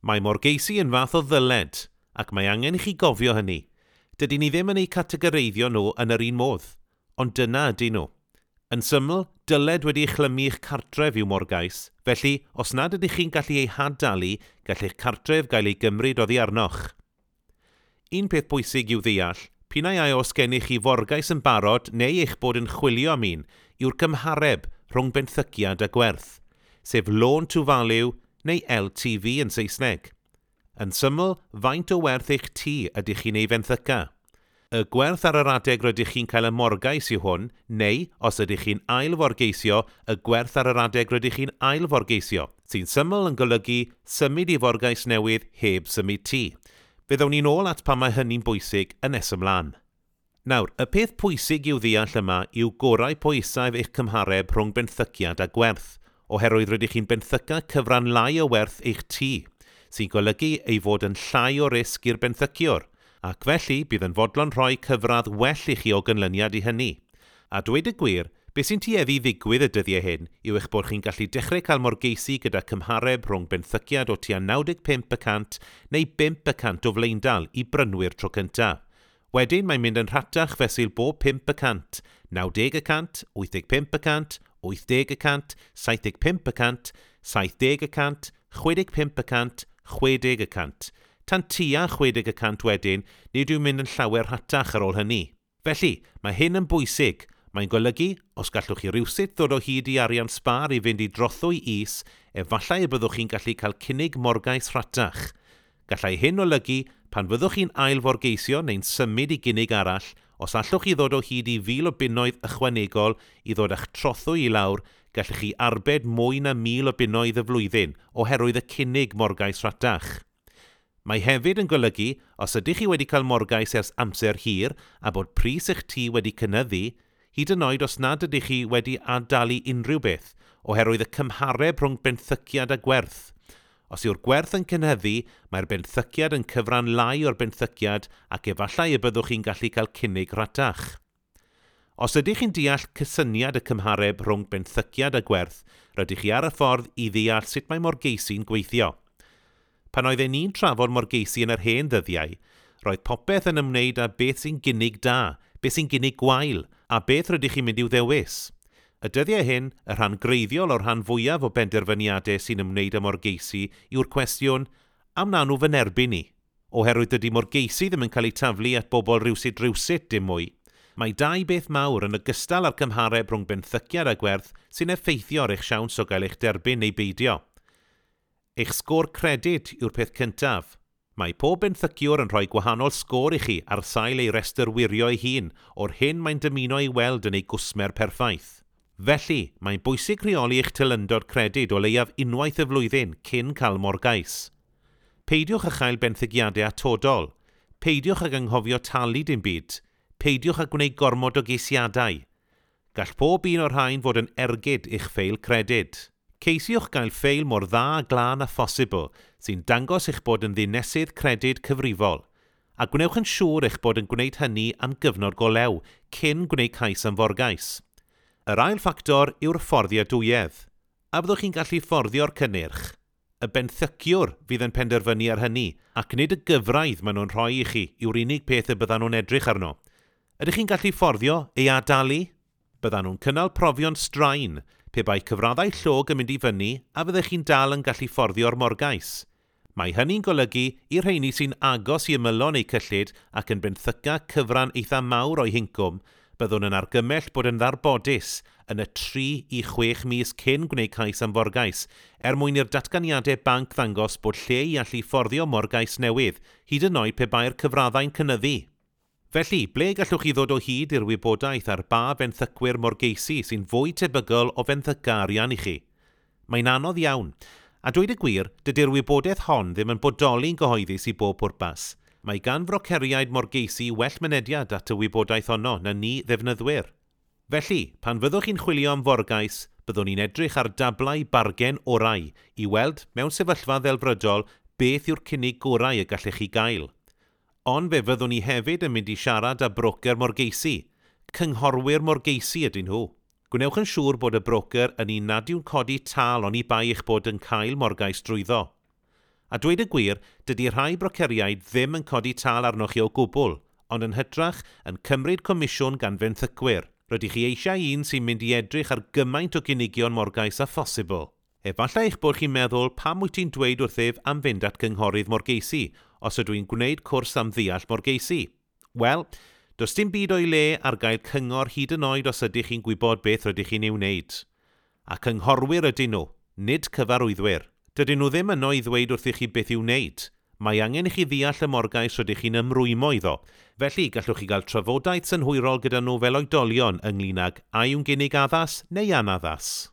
Mae morgeisi yn fath o ddyled, ac mae angen i chi gofio hynny. Dydyn ni ddim yn eu categoreiddio nhw yn yr un modd, ond dyna ydyn nhw. Yn syml, dyled wedi eich chlymu i'ch cartref yw morgais, felly os nad ydych chi'n gallu ei had-dalu, gall eich cartref gael ei gymryd oddi arnoch. Un peth pwysig i'w ddeall, p'un ai oes gennych chi forgais yn barod neu eich bod yn chwilio am un, yw'r cymhareb rhwng benthyciad a gwerth, sef loan to value neu LTV yn Saesneg. Yn syml, faint o werth eich tŷ ydych chi'n ei fenthyca? Y gwerth ar yr adeg rydych chi'n cael y morgais yw hwn, neu, os ydych chi'n ailforgeisio, y gwerth ar yr adeg rydych chi'n ailforgeisio, sy'n syml yn golygu symud i forgais newydd heb symud tŷ. Fe ddown ni'n ôl at pam mae hynny'n bwysig yn nes ymlaen. Nawr, y peth pwysig i'w ddeall yma yw gorau po isaf eich cymhareb rhwng benthyciad a gwerth, oherwydd rydych chi'n benthyca cyfran lai o werth eich tŷ, sy'n golygu ei fod yn llai o risg i'r benthyciwr, ac felly bydd yn fodlon rhoi cyfradd well i chi o ganlyniad i hynny. A dweud y gwir, beth sy'n tueddu i ddigwydd y dyddiau hyn yw eich bod chi'n gallu dechrau cael morgeisi gyda cymhareb rhwng benthyciad o tua 95% neu 5% o flaendal i brynwyr tro cyntaf. Wedyn mae'n mynd yn rhatach fesul bob 5%, 90%, 85%, 80%, 75%, 70%, 65%, 60%. Tan tua 60% wedyn, nid yw'n mynd yn llawer rhatach ar ôl hynny. Felly, mae hyn yn bwysig. Mae'n golygu, os gallwch chi rywsut ddod o hyd i arian sbâr i fynd i drothwy is, efallai y byddwch chi'n gallu cael cynnig morgais rhatach. Gallai hyn olygu, pan fyddwch chi'n ailforgeisio neu'n symud i gynnig arall, os allwch chi ddod o hyd i 1,000 o bunnoedd ychwanegol i ddod â'ch trothwy i lawr, gallech chi arbed mwy na 1,000 o bunnoedd y flwyddyn oherwydd y cynnig morgais rhatach. Mae hefyd yn golygu, os ydych chi wedi cael morgais ers amser hir a bod pris eich tŷ wedi cynyddu, hyd yn oed os nad ydych chi wedi ad-dalu unrhyw beth, oherwydd y cymhareb rhwng benthyciad a gwerth. Os yw'r gwerth yn cynyddu, mae'r benthyciad yn cyfran lai o'r benthyciad ac efallai y byddwch chi'n gallu cael cynnig rhatach. Os ydych chi'n deall cysyniad y cymhareb rhwng benthyciad a gwerth, rydych chi ar y ffordd i ddeall sut mae morgeisi'n gweithio. Pan oedden ni'n trafod morgeisi yn yr hen ddyddiau, roedd popeth yn ymwneud â beth sy'n gynnig da, beth sy'n gynnig gwael, a beth rydych chi'n mynd i'w ddewis. Y dyddiau hyn, y rhan greiddiol o'r rhan fwyaf o benderfyniadau sy'n ymwneud â morgeisi yw'r cwestiwn, a wna nhw fy nerbyn i? Oherwydd dydy morgeisi ddim yn cael eu taflu at bobl rywsut rywsut dim mwy. Mae dau beth mawr yn ogystal â'r cymhareb rhwng benthyciad a gwerth sy'n effeithio ar eich siawns o gael eich derbyn neu beidio. Eich sgôr credyd yw'r peth cyntaf. Mae pob benthyciwr yn rhoi gwahanol sgôr i chi ar sail ei restr wirio ei hun o'r hyn mae'n dymuno ei weld yn ei gwsmer perffaith. Felly, mae'n bwysig rheoli eich teilyngdod credyd o leiaf unwaith y flwyddyn cyn cael morgais. Peidiwch â chael benthyciadau atodol. Peidiwch ag anghofio talu dim byd. Peidiwch â gwneud gormod o geisiadau. Gall pob un o'r rhain fod yn ergyd i'ch ffeil credyd. Ceisiwch gael ffeil mor dda a glân â phosibl sy'n dangos eich bod yn ddinesydd credyd cyfrifol, a gwnewch yn siŵr eich bod yn gwneud hynny am gyfnod go lew cyn gwneud cais am forgais. Yr ail ffactor yw'r fforddiadwyedd. A fyddwch chi'n gallu fforddio'r cynnyrch? Y benthyciwr fydd yn penderfynu ar hynny, ac nid y gyfradd maen nhw'n rhoi i chi yw'r unig peth y byddan nhw'n edrych arno. Ydych chi'n gallu fforddio ei ad-dalu? Byddan nhw'n cynnal profion straen, pe bai cyfraddau llog yn mynd i fyny a fyddech chi'n dal yn gallu fforddio'r morgais. Mae hynny'n golygu i'r rheini sy'n agos i ymylon eu cyllid ac yn benthyca cyfran eitha mawr o'u hincwm, byddwn yn argymell bod yn ddarbodus yn y 3 i 6 mis cyn gwneud cais am forgais, er mwyn i'r datganiadau banc ddangos bod lle i allu fforddio morgais newydd, hyd yn oed pe bai'r cyfraddau'n cynyddu. Felly, ble gallwch chi ddod o hyd i'r wybodaeth ar ba fenthycwyr morgeisi sy'n fwy tebygol o fenthyca arian i chi? Mae'n anodd iawn. A dweud y gwir, dydy'r wybodaeth hon ddim yn bodoli'n gyhoeddus i bob pwrpas. Mae gan froceriaid morgeisi well mynediad at y wybodaeth honno na ni ddefnyddwyr. Felly, pan fyddwch chi'n chwilio am forgais, byddwn ni'n edrych ar dablau bargen orau i weld mewn sefyllfa ddelfrydol beth yw'r cynnig gorau y gallech chi gael. Ond fe fyddwn ni hefyd yn mynd i siarad â brocer morgeisi. Cynghorwyr morgeisi ydyn nhw. Gwnewch yn siŵr bod y brocer yn un nad yw'n codi tâl oni bai eich bod yn cael morgais drwyddo. A dweud y gwir, dydy rhai broceriaid ddim yn codi tâl arnoch chi o gwbl, ond yn hytrach yn cymryd comisiwn gan fenthycwyr. Rydych chi eisiau un sy'n mynd i edrych ar gymaint o gynigion morgais â phosibl. Efallai eich bod chi'n meddwl pam wyt ti'n dweud wrthyf am fynd at gynghorydd morgeisi os ydw i'n gwneud cwrs am ddeall morgeisi. Wel, does dim byd o'i le ar gael cyngor hyd yn oed os ydych chi'n gwybod beth rydych chi'n ei wneud. A cynghorwyr ydyn nhw, nid cyfarwyddwyr. Dydyn nhw ddim yno i ddweud wrthych chi beth i'w wneud. Mae angen i chi ddeall y morgais rydych chi'n ymrwymo iddo. Felly, gallwch chi gael trafodaeth synhwyrol gyda nhw fel oedolion ynglyn ag a yw'n gynnig addas neu anaddas.